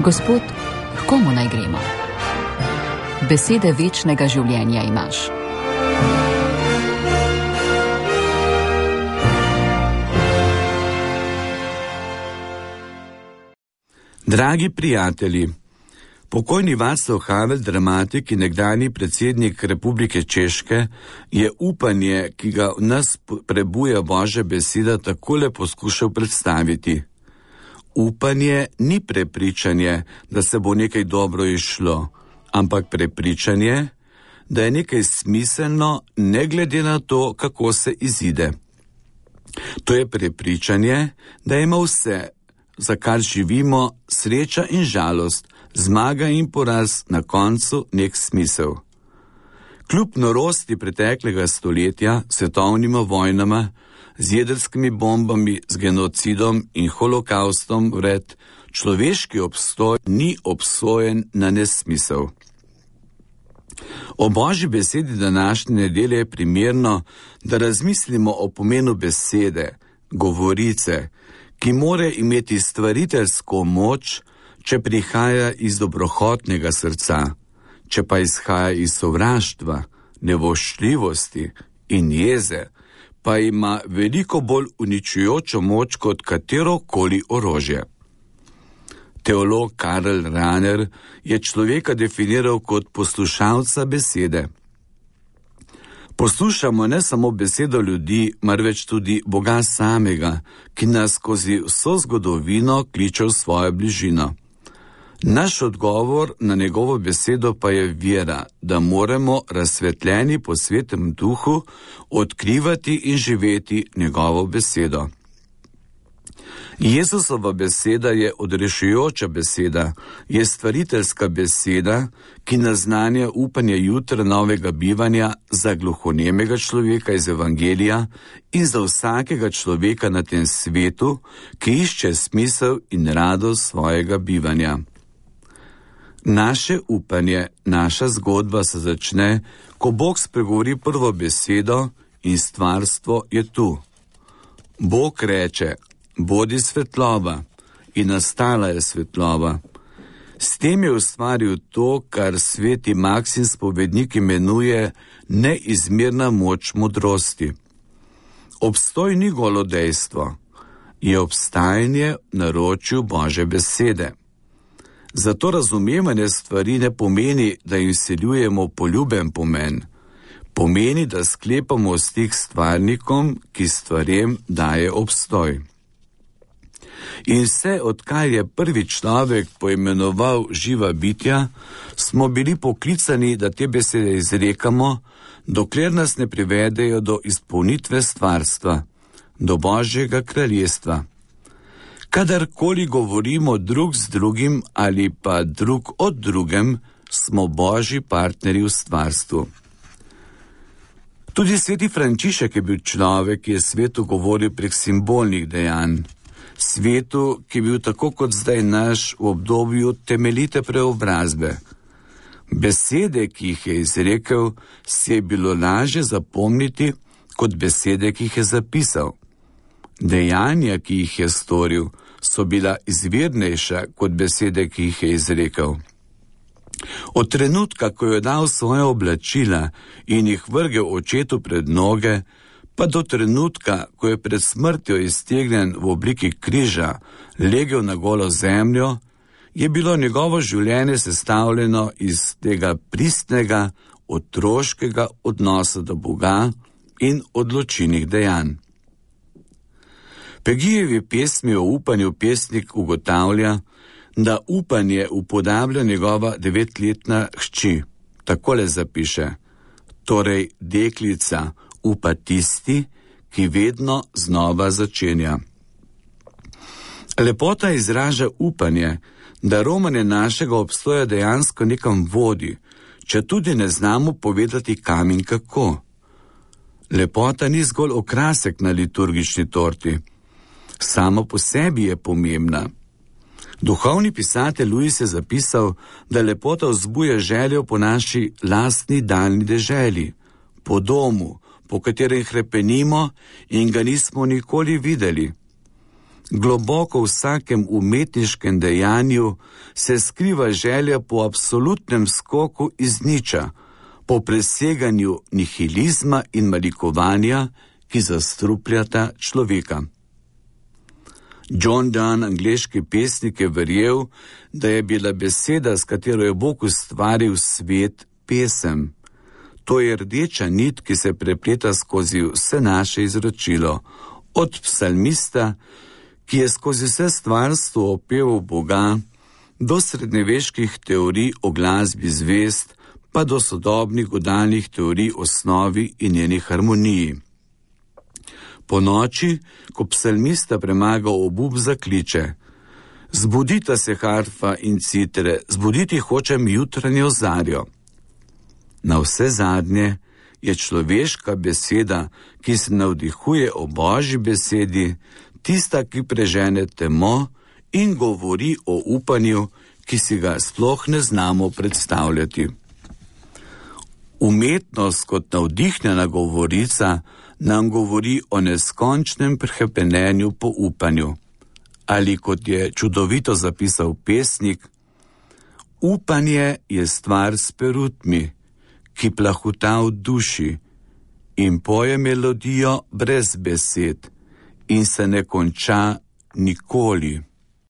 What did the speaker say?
Gospod, k komu naj gremo? Besede večnega življenja imaš. Dragi prijatelji, pokojni Václav Havel, dramatik in nekdanji predsednik Republike Češke, je upanje, ki ga v nas prebuja Božja beseda, takole poskušal predstaviti. Upanje ni prepričanje, da se bo nekaj dobro izšlo, ampak prepričanje, da je nekaj smiselno, ne glede na to, kako se izide. To je prepričanje, da ima vse, za kar živimo, sreča in žalost, zmaga in poraz, na koncu nek smisel. Kljub norosti preteklega stoletja, svetovnima vojnama, z jedrskimi bombami, z genocidom in holokaustom vred, človeški obstoj ni obsojen na nesmisel. O Božji besedi današnje nedelje je primerno, da razmislimo o pomenu besede, govorice, ki more imeti stvariteljsko moč, če prihaja iz dobrohotnega srca, če pa izhaja iz sovraštva, nevoščljivosti in jeze, pa ima veliko bolj uničujočo moč kot katerokoli orožje. Teolog Karl Rahner je človeka definiral kot poslušalca besede. Poslušamo ne samo besedo ljudi, marveč tudi Boga samega, ki nas skozi vso zgodovino kliče v svojo bližino. Naš odgovor na njegovo besedo pa je vera, da moramo razsvetljeni po Svetem Duhu odkrivati in živeti njegovo besedo. Jezusova beseda je odrešujoča beseda, je stvariteljska beseda, ki naznanja upanje jutra novega bivanja za gluhonemega človeka iz Evangelija in za vsakega človeka na tem svetu, ki išče smisel in radost svojega bivanja. Naše upanje, naša zgodba se začne, ko Bog spregovori prvo besedo in stvarstvo je tu. Bog reče: bodi svetloba, in nastala je svetloba. S tem je ustvaril to, kar sveti Maksim spovednik imenuje neizmerna moč modrosti. Obstoj ni golo dejstvo, je obstajanje v naročju Božje besede. Zato razumevanje stvari ne pomeni, da jim vseljujemo poljuben pomen. Pomeni, da sklepamo stik s stvarnikom, ki stvarem daje obstoj. In vse, odkar je prvi človek poimenoval živa bitja, smo bili poklicani, da te besede izrekamo, dokler nas ne privedejo do izpolnitve stvarstva, do Božjega kraljestva. Kadarkoli govorimo drug z drugim ali pa drug od drugem, smo Božji partnerji v stvarstvu. Tudi sveti Frančišek je bil človek, ki je svetu govoril prek simbolnih dejanj. Svetu, ki je bil tako kot zdaj naš v obdobju temeljite preobrazbe. Besede, ki jih je izrekel, si je bilo lažje zapomniti kot besede, ki jih je zapisal. Dejanja, ki jih je storil, so bila izvirnejša kot besede, ki jih je izrekel. Od trenutka, ko je dal svoje oblačila in jih vrgel očetu pred noge, pa do trenutka, ko je pred smrtjo iztegnjen v obliki križa legel na golo zemljo, je bilo njegovo življenje sestavljeno iz tega pristnega, otroškega odnosa do Boga in odločilnih dejanj. Pegijevi pesmi o upanju pesnik ugotavlja, da upanje upodablja njegova 9-letna hči. Takole zapiše: torej deklica upa tisti, ki vedno znova začenja. Lepota izraža upanje, da romanje našega obstoja dejansko nekam vodi, če tudi ne znamo povedati kam in kako. Lepota ni zgolj okrasek na liturgični torti. Samo po sebi je pomembna. Duhovni pisatelj Luis je zapisal, da lepota vzbuja željo po naši lastni daljni deželi, po domu, po katerem hrepenimo in ga nismo nikoli videli. Globoko v vsakem umetniškem dejanju se skriva želja po absolutnem skoku iz niča, po preseganju nihilizma in malikovanja, ki zastrupljata človeka. John Donne, angleški pesnik, je verjel, da je bila beseda, s katero je Bog ustvaril svet, pesem. To je rdeča nit, ki se prepleta skozi vse naše izročilo, od psalmista, ki je skozi vse stvarstvo opeval Boga, do srednjeveških teorij o glasbi zvezd, pa do sodobnih godalnih teorij o snovi in njeni harmoniji. Po noči, ko psalmista premaga obup, zakliče: zbudita se harfa in citre, zbuditi hočem jutranjo zarjo. Na vse zadnje je človeška beseda, ki se navdihuje o Božji besedi, tista, ki prežene temo in govori o upanju, ki si ga sploh ne znamo predstavljati. Umetnost kot navdihnjena govorica nam govori o neskončnem prehrepenenju po upanju. Ali kot je čudovito zapisal pesnik, upanje je stvar s perutmi, ki plahuta v duši in poje melodijo brez besed in se ne konča nikoli.